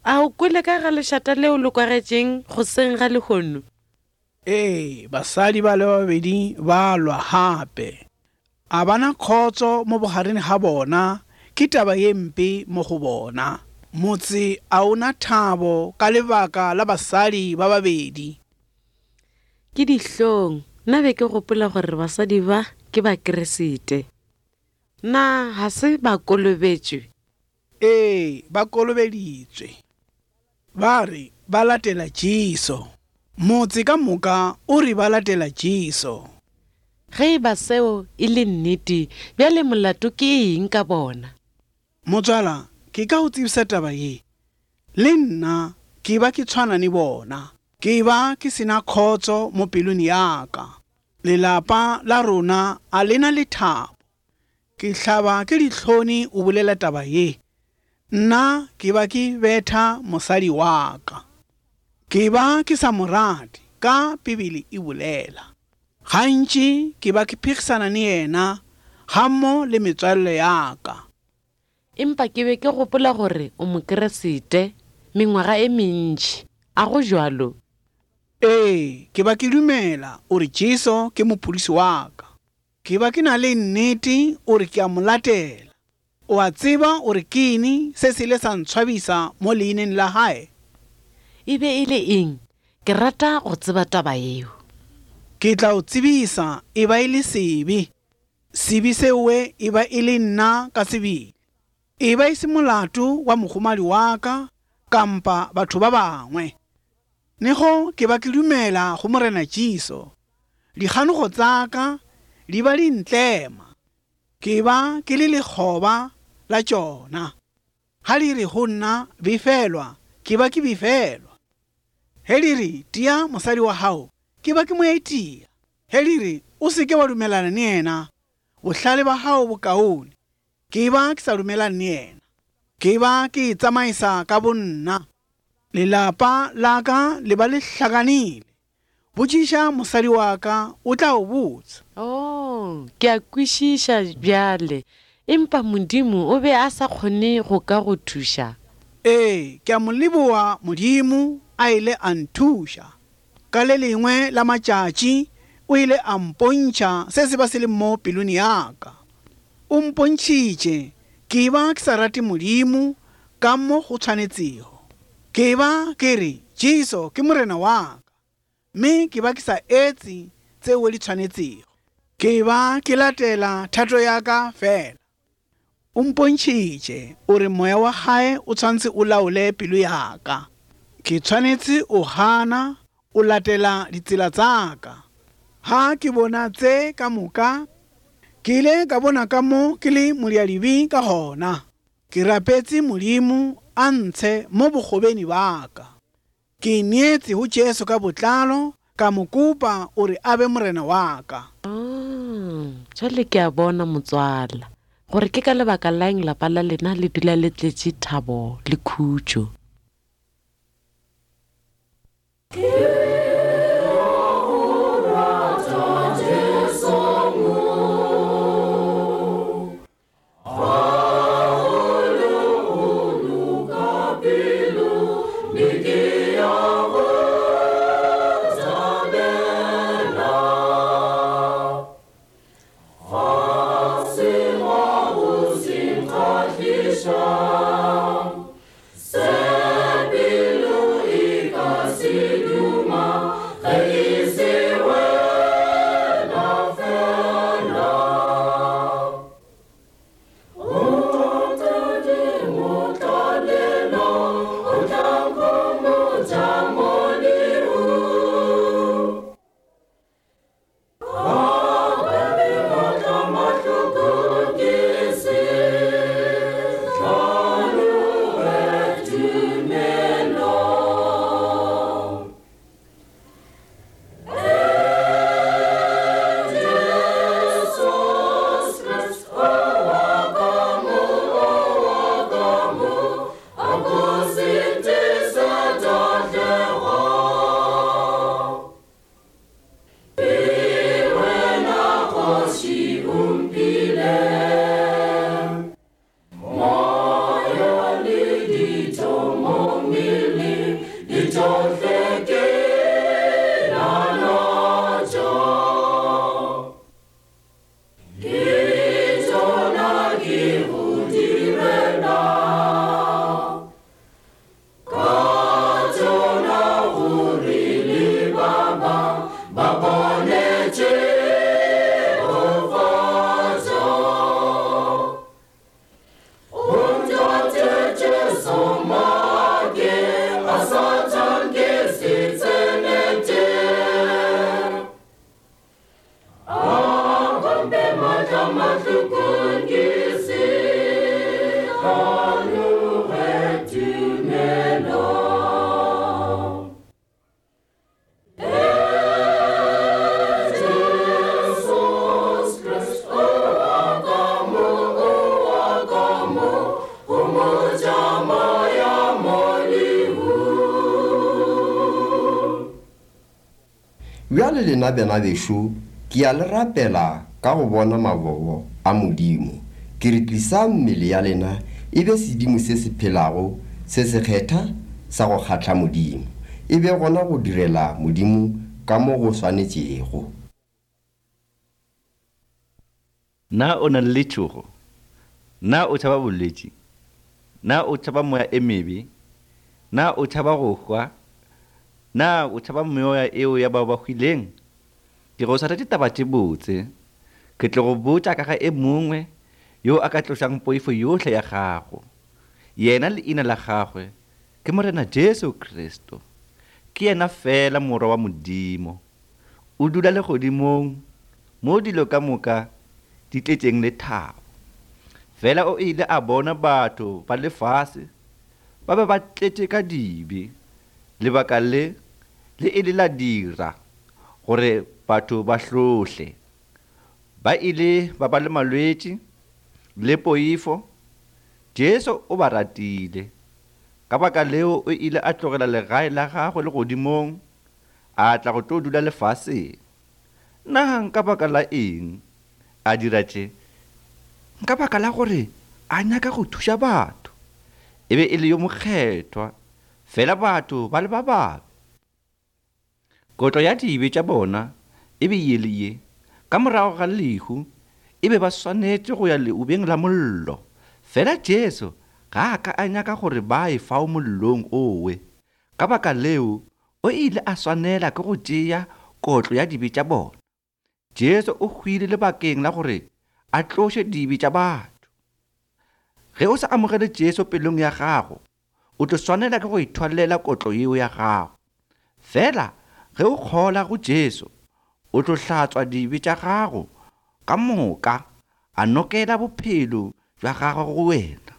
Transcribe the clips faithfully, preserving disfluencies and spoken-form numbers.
A o kwele ka ga lešata leo le kwagetšeng goseng ga lehono? Ee, basadi ba le babedi ba lwa gape. A bana khotso mo bogareng ga bona, ke taba ye mpe mo go bona. Motse a ona thabo ka lebaka la basadi ba babedi. Ke dihlong, nna be ke gopola gore basadi ba ke Bakeresete. Na ga se ba kolobetšwe? Ee, ba kolobeditswe. Ba re ba latela Jesu. Motse ka moka o re ba latela Jesu. Ge e ba seo e le nnete, bjale molato ke eng ka bona? Motswala, ke ka go tsebisa taba ye. Le nna ke ba ke tshwana le bona. Ke ba ke sena khotso mo pelong ya ka. Lelapa la rona a lena lethabo. Ke hlaba ke dihloni o bolela taba ye. Nna ke ba ke betha mosadi wa ka. Ke ba ke sa mo rate ka Bibele e bolela. Gantši ke ba ke phigisana le yena gammo le metswalle ya ka. Empa ke be ke gopola gore o Mokeresete mengwaga e mentši. A go jwalo? Ee, ke ba ke dumela ore Jesu ke mopholosi wa ka. Ke ba ke na le nnete ore ke a mo latela. O a tseba ore ke eng se se ile sa ntshwabisa mo leineng la hae? E be e le eng? Ke rata go tseba taba eo. Ke tla o tsebisa e ba e le sebe. Sebe seo e ba e le nna ka sebele. E ba e se molato wa mogomadi wa ka kampa batho ba bangwe. Nego ke ba ke dumela go Morena Jesu. Dikganogo tsa ka di ba di ntlema. Ke ba ke le lekgoba la tšona. Ha di re go nna befelwa, ke ba ke befelwa. He di re tia mosadi wa hao, ke ba ke mo etia. He di re o se ke wa dumelana le yena, bohlale ba hao bo kaone, ke ba ke sa dumelane le yena. Ke ba ke itsamaisa ka bonna. Lelapa la ka le ba le hlakanile. Botšiša mosadi wa ka, o tla o botsa. Oh, ke a kwešiša bjale. Empa Modimo o be a sa kgone go ka go thuša. Ee, ke a mo leboha Modimo a ile a nthuša. Ka le lengwe la matšatši o ile a mpontšha se se ba se le mo pelong ya ka. O mpontšhitše ke ba ke sa rate Modimo ka mo go tshwanetsego. Ke ba ke re Jesu ke Morena wa ka, mme ke ba ke sa etse tseo di tshwanetsego. Ke ba ke latela thato ya ka fela. O mpontšhitše ore moya wa hae o tshwanetse o laole pelo ya ka. Ke tshwanetse o hana o latela ditsela tsa ka. Ha ke bona tse ka moka, ke ile ka bona ka mo ke le modiadibe ka gona. Ke rapetse Modimo a ntshe mo bokgobeng ba ka. Ke ineetse ho Jesu ka botlalo, ka mo kopa ore a be Morena wa ka. Ah, jwale ke a bona motswala gore ke ka lebaka la eng lapa la lena le dula le tletše thabo le khutšo. Se pelo e ka se Bjale lena bana bešo, ke a le rapela ka go bona mabobo a Modimo. Ke re tlisang mmele ya lena e be sedimo se se phelago, se sekgetha sa go kgahla Modimo. E be gona go direla Modimo ka mo go swanetšego. Na o na le letšhogo? Na o tšhaba bolwetši? Na o tšhaba moya e mebe? Na o tšhaba go hwa? Na o tšhaba meoya eo ya bao ba hwileng? Ke go swaretše taba tše botse. Ke tlo go botša ka ga e mongwe yo a ka tlošang poifo yohle ya gago. Yena leina la gagwe ke Morena Jesu Kristo. Ke yena fela morwa wa Modimo. O dula legodimong mo dilo ka moka di tletšeng lethabo. Fela o ile a bona batho ba lefase ba be ba tletše ka dibe. Lebaka le le ile la dira gore batho ba hlohle. Ba ile ba ba le malwetši le poifo. Jesu o ba ratile. Ka baka leo o ile a tlogela legae la gagwe legodimong, a tla go tlo dula lefaseng. Na nka baka la eng a dira tše? Nka baka la gore a nyaka go thuša batho. E be e le yo mokgethwa, fela batho ba le ba babe. Kotlo ya dibe tša bona e be ye le ye. Ka morago ga lehu e be ba swanetše go ya leubeng la mollo. Fela Jesu ga a ka a nyaka gore ba ye fao mollong owe. Ka baka leo o ile a swanela ke go tšea kotlo ya dibe tša bona. Jesu o hwile lebakeng la gore a tloše dibe tša batho. Ge o sa amogele Jesu pelong ya gago, o tlo swanela ke go ithwalela kotlo yeo ya gago. Fela ge o kgola go Jesu, o tlo hlatswa dibe tša gago ka moka, a nokela bophelo bja gagwe go wena,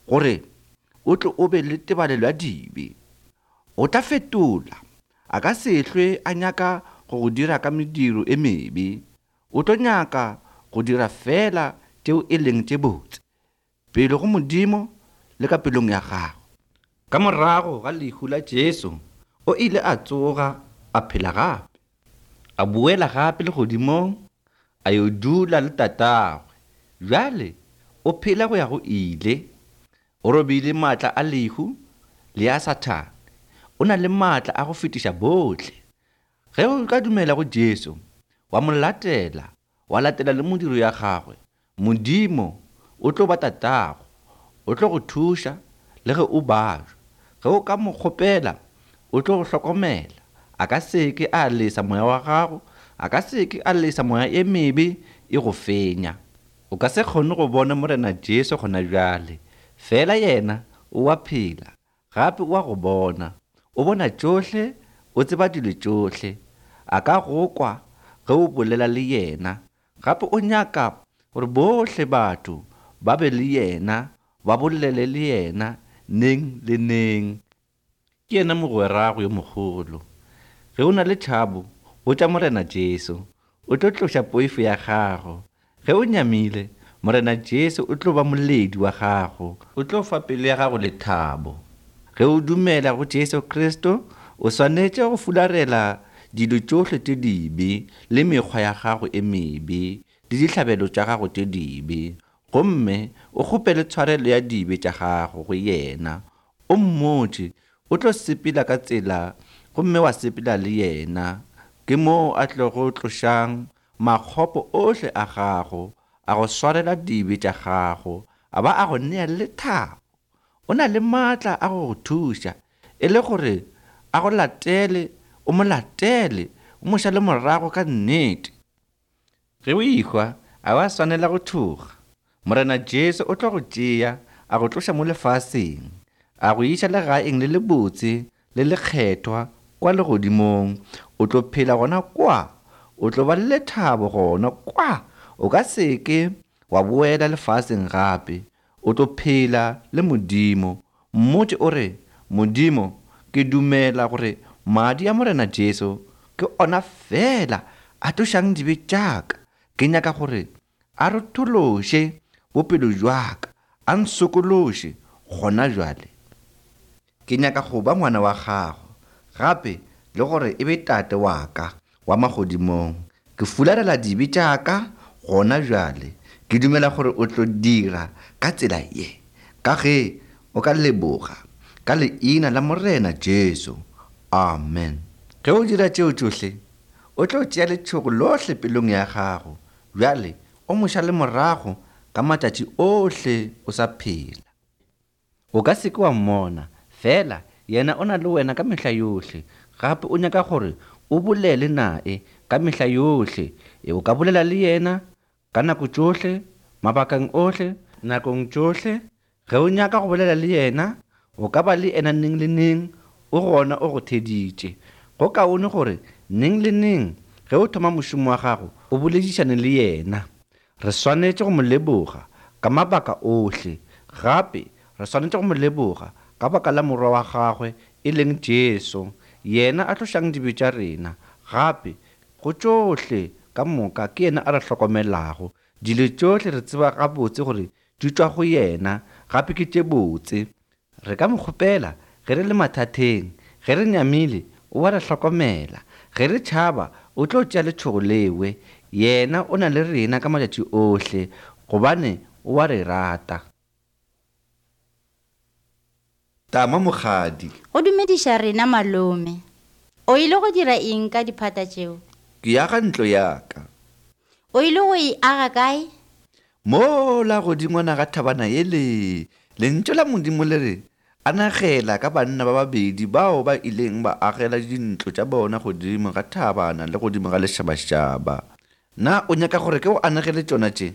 gore o tlo o be le tebalelo ya dibe. O tla fetola, a ka se hlwe a nyaka go go dira ka mediro e mebe. O tlo nyaka go dira fela tšeo e leng tše botse pele go Modimo le ka pelong ya gago. Ka morago ga lehu la Jesu, o ile a tsoga a phela gape. A boela gape legodimong, a yo dula le tatagwe. Bjale o phela go ya go ile. O robile maatla a lehu le a Sathane. O na le maatla a go fetiša bohle. Ge o ka dumela go Jesu, wa mo latela, wa latela le modiro ya gagwe, Modimo o tlo ba tatago, o tlo go thuša le ge o bajwa. Ge o ka mo kgopela, o tlo go hlokomela. A ka se ke a lesa moya wa gago, a ka se ke a lesa moya e mebe e go fenya. O ka se kgone go bona Morena Jesu gona bjale, fela yena o a phela, gape o a go bona. O bona tšohle, o tseba dilo tšohle. A ka go kwa ge o bolela le yena. Gape o nyaka gore bohle batho ba be le yena, ba bolele le yena neng le neng. Ke yena mogwerago yo mogolo. Ge o na le tšhabo, botša Morena Jesu, o tlo tloša poifo ya gago. Ge o nyamile, Morena Jesu o tlo ba moledi wa gago, o tlo fa pelo ya gago lethabo. Ge o dumela go Jesu Kristo, o swanetše go fularela dilo tšohle tše dibe le mekgwa ya gago e mebe le dihlabelo tša gago tše dibe, gomme o kgopele tshwarelo ya dibe tša gago go yena. O mmotše o tlo sepela ka tsela gomme wa sepela le yena. Ke moo a tlo go tlošang makgopo ohle a gago, a go swarela dibe tša gago, a ba a go nea lethabo. O na le maatla a go go thuša e le gore a go latele, o mo latele, o mo šale morago ka nnete. Ge o ehwa, a wa swanela go tšhoga. Morena Jesu o tlo go tšea, a go tloša mo lefaseng, a go iša legaeng le lebotse le lekgethwa kwa legodimong. O tlo phela gona kwa, o tlo ba le lethabo gona kwa. O ka se ke wa boela lefaseng gape. O tlo phela le Modimo. Mmotše o re, Modimo, ke dumela gore madi a Morena Jesu ke ona fela a tlošang dibe tša ka. Ke nyaka gore a rotološe bophelo bja ka, a nsokološe gona bjale. Ke nyaka go ba ngwana wa gago, gape le gore e be tate wa ka. wa magodimong, ke fularela dibe tša ka gona bjale. Ke dumela gore o tlo dira ka tsela ye, ka ge o ka leboga ka leina la Morena Jesu. Amen. Ge o dira tšeo tšohle, o tlo tšea letšhogo lohle pelong ya gago. Bjale o mo šale morago ka matšatši ohle o sa phela. O ka se ke wa mmona, fela yena o na le wena ka mehla yohle. Gape o nyaka gore o bolele nae ka mehla yohle. E o ka bolela le yena ka nako tšohle, mabakeng ohle, nakong tšohle. Ge o nyaka go bolela le yena, o ka ba le yena neng le neng, o gona o go theditše. Go kaone gore neng le neng ge o thoma mošomo wa gago, o boledišane le yena. Re swanetše go mo leboga ka mabaka ohle. Gape re swanetše go mo leboga ka baka la morwa wa gagwe e leng Jesu, yena a tlošang dibe tša rena. Gape go tšohle ka moka ke yena a re hlokomelago. Dilo tšohle re tseba gabotse gore di tšwa go yena, gape ke tše botse. Re ka mo kgopela ge re le mathateng, ge re nyamile o a re hlokomela, ge re tšhaba o tlo tšea letšhogo lewe. Yena o na le rena ka matšatši ohle, gobane o a re rata. Tama mokgadi. Go dumediša rena malome. O ile go dira eng ka diphata tšeo? Ke aga ntlo ya ka. O ile go e aga kae? Mola godingwana ga thabana yele. Lentšu la Modimo le re anagela ka banna ba babedi bao ba ileng ba agela dintlo tša bona godimo ga thabana le godimo ga lešabašaba. Na o nyaka gore ke o anegele tšona tše?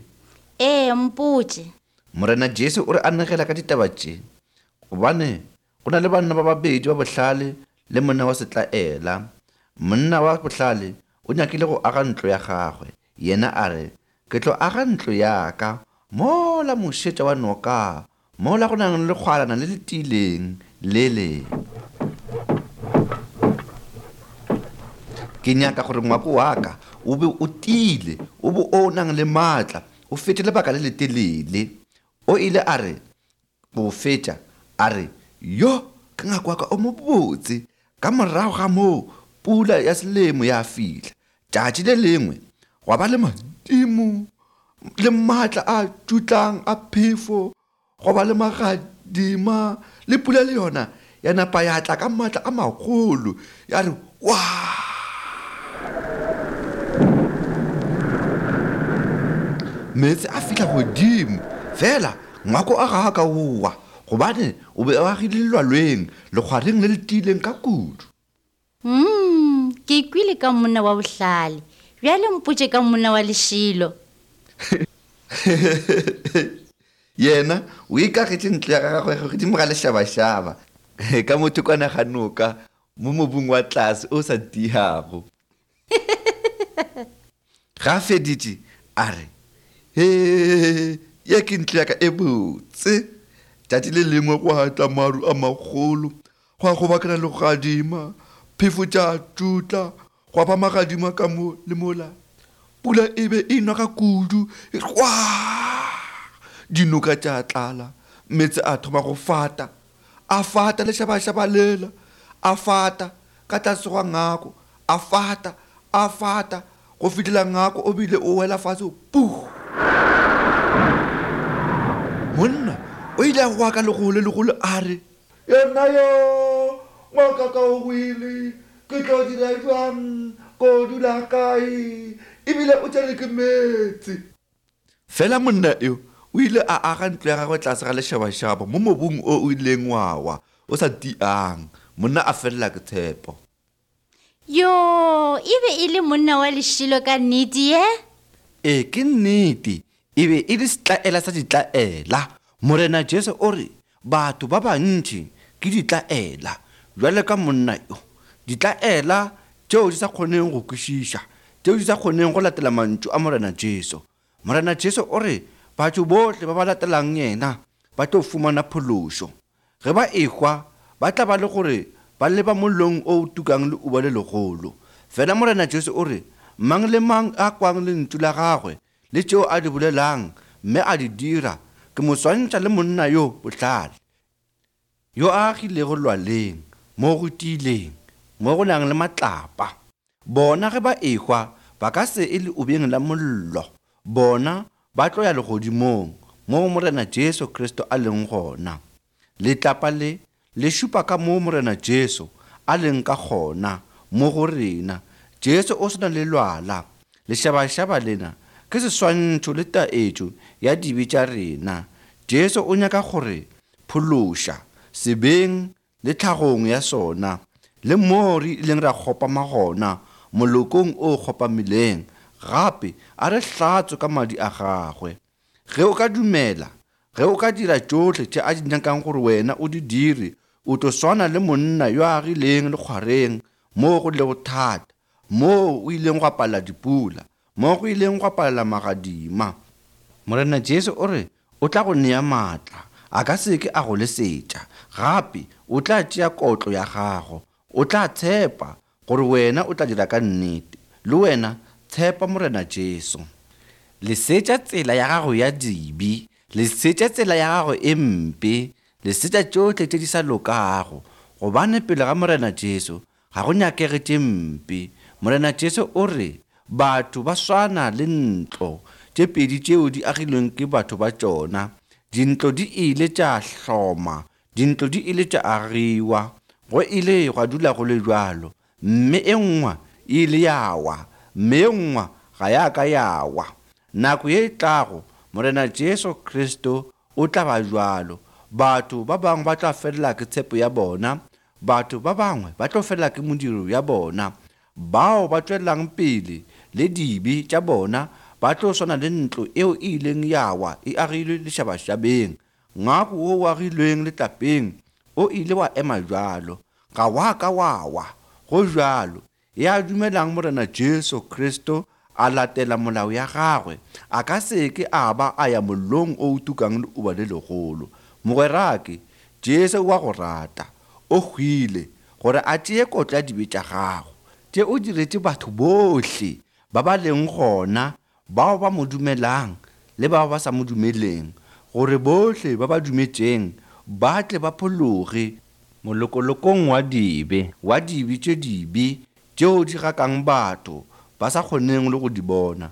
Ee, mpotše. Morena Jesu o re anegela ka ditaba tše, gobane go na le banna ba babedi ba bohlale le monna wa setlaela. Monna wa bohlale o nyakile go aga ntlo ya gagwe. Yena a re, ke tlo aga ntlo ya ka mola mošetša wa noka, mola go nang le kgwalana le le tiileng lele. Ke nyaka gore ngwako wa ka o be o tiile, o be o nang le maatla, o fete lebaka le letelele. O ile a re go fetša, a re, yo ke ngwako wa ka o mobotse. Ka morago ga moo pula ya selemo ya fihla. Tšatši le lengwe gwa ba le madimo le maatla a tšutlang a phefo, gwa ba le magadima le pula le yona ya napa ya tla ka maatla a magolo, ya re wa. Meetse a fihla godimo, fela ngwako a ga a ka owa, gobane o be o agile lelwalweng, lekgwareng le le tiileng ka kudu. Mm, ke kwile ka monna wa bohlale. Bjale mpotše ka monna wa lešilo. Yena o ikagetše ntlo ya gagwe godimo ga lešabašaba, ka mothokwana ga noka mo mobung wa tlase o sa tiago. Ga feditše a re, he, ye ke ntlo ya ka e botse. Tšatši le lengwe gwa tla maru a magolo, gwa kgobakana le gadima, phefo tša tšutla, gwa ba magadima ka mo le mola. Pula e be e nwa ka kudu, wa dinoka tša tlala, meetse a thoma go fata, a fata lešabašaba lela, a fata ka tlase ga ngako, a fata, a fata go fihlela ngako o bile o wela fatshe, pu. Monna o ile a goa ka legolo legolo a re, yena yo ngwaka ka o wile, ke tlo dira jwang, ko dula kae, ebile o tšere ke meetse. Fela monna eo o ile a aga ntlo ya gagwe tlase ga lešabašaba mo mobung o o ileng wa wa o sa tiang. Monna a felela ke tshepo. Yo, e be e le monna wa lešilo ka nnete ye? Ee, ke nnete. E be e le setlaela sa ditlaela. Morena Jesu o re batho ba bantši ke ditlaela, bjale ka monna yo. Ditlaela tšeo di sa kgoneng go kwešiša, tšeo di sa kgoneng go latela mantšu a Morena Jesu. Morena Jesu o re batho bohle ba ba latelang yena ba tlo fumana phološo. Ge ba ehwa ba tla ba le gore ba leba mollong o tukang le uba le legolo. Fela Morena Jesu o re mang le mang a kwang lentšu la gagwe le tšeo a di bolelang mme a di dira, ke mo swantšha le monna yo bohlale, yo a agilego lwaleng mo go tiileng, mo go nang le matlapa. Bona ge ba ehwa ba ka se e le obeng la mollo, bona ba tlo ya legodimong moo Morena Jesu Kristo a leng gona. Letlapa le le šupa ka moo Morena Jesu a leng ka gona mo go rena. Jesu o swana le lwala. Lešabašaba lena ke seswantšho le taetšo ya dibe tša rena. Jesu o nyaka gore phološa sebeng le tlhagong ya sona, le moo re ileng ra kgopama gona molokong o kgopamileng, gape a re hlatswe ka madi a gagwe. Ge o ka dumela, ge o ka dira tšohle tše a di nyakang gore wena o di dire, o tlo swana le monna yo a agileng lekgwareng moo go lego thata, moo o ileng gwa palela dipula, moo go ileng gwa palela magadima. Morena Jesu o re o tla go nea maatla, a ka se ke a go lesetša, gape o tla tšea kotlo ya gago. O tla tshepa gore wena o tla dira ka nnete. Le wena tshepa Morena Jesu. Lesetša tsela ya gago ya dibe, lesetša tsela ya gago e mpe, lesetša tšohle tše di sa lokago, gobane pele ga Morena Jesu ga go nyakege tše mpe. Morena Jesu o re batho ba swana le ntlo tše pedi tšeo di agilweng ke batho ba tšona. Dintlo di ile tša hloma, dintlo di ile tša agiwa, go ile gwa dula go le bjalo, mme e nngwe e ile ya wa, mme e nngwe ga ya ka ya wa. Nako ye e tlago Morena Jesu Kristo o tla ba bjalo. Batho ba bangwe ba tla felela ke tshepo ya bona, batho ba bangwe ba tlo felela ke modiro ya bona. Bao ba tšwelang pele le dibe tša bona ba tlo swana le ntlo eo e ileng ya wa e agilwe lešabašabeng. Ngwako wo o agilweng letlapeng o ile wa ema bjalo, ga wa ka wa wa. Go bjalo, ya dumelang Morena Jesu Kristo a latela molao ya gagwe, a ka se ke a ba a ya mollong o tukang leuba le legolo. Mogwerake, Jesu wa go rata, o hwile gore a tšee kotlo ya dibe tša gago. Tše o diretše batho bohle ba ba leng gona, bao ba mo dumelang le bao ba sa mo dumeleng, gore bohle ba ba dumetšeng ba tle ba phologe molokolokong wa dibe, wa dibe tše dibe tšeo di gakang batho ba sa kgoneng le go di bona.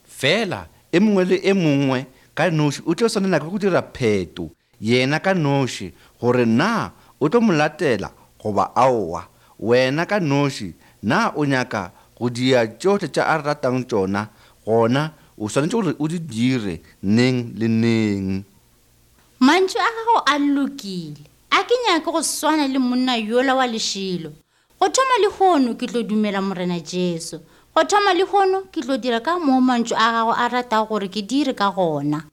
Fela e mongwe le e mongwe ka noši o tlo swanela ke go dira pheto yena ka noši gore na o tlo mo latela goba aowa. Wena ka noši na o nyaka go dia tšohle tša a ratang tšona, gona o swanetše gore o di dire neng le neng. Mantšu a gago a lokile. A ke nyake go swana le monna yola wa lešilo. Go thoma lehono ke tlo dumela Morena Jesu. Go thoma lehono ke tlo dira ka moo mantšu a gago a ratago gore ke dire ka gona.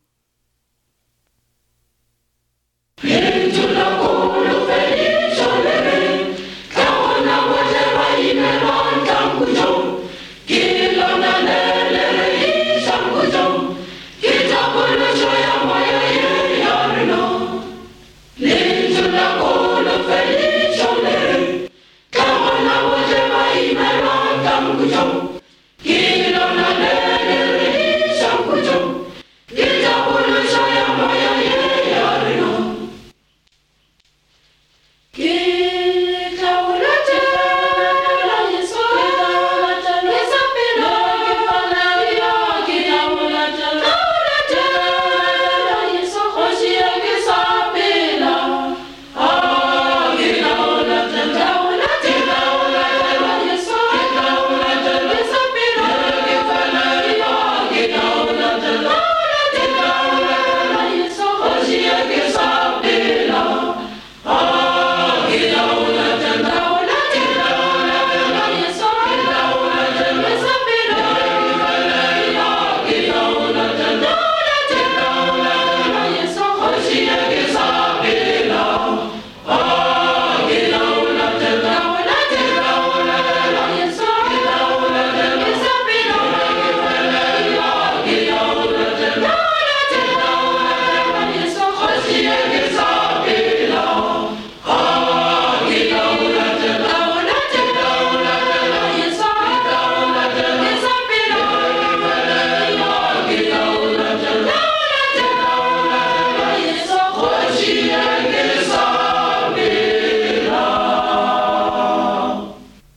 Oh,